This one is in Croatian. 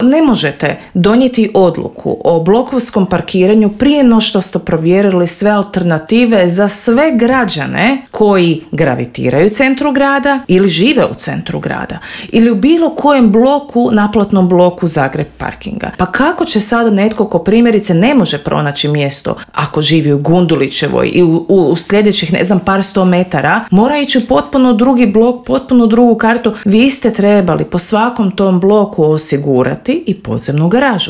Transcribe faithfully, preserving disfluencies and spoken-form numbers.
Ne možete donijeti odluku o blokovskom parkiranju prije no što ste provjerili sve alternative za sve građane koji gravitiraju u centru grada ili žive u centru grada ili u bilo kojem bloku, naplatnom bloku Zagreb parkinga. Pa kako će sada netko ko primjerice ne može pronaći mjesto ako živi u Gundulićevoj i u, u, u sljedećih ne znam par sto metara mora ići u potpuno drugi blok, potpuno drugu kartu. Vi ste trebali po svakom tom bloku osigurati i podzemnu garažu.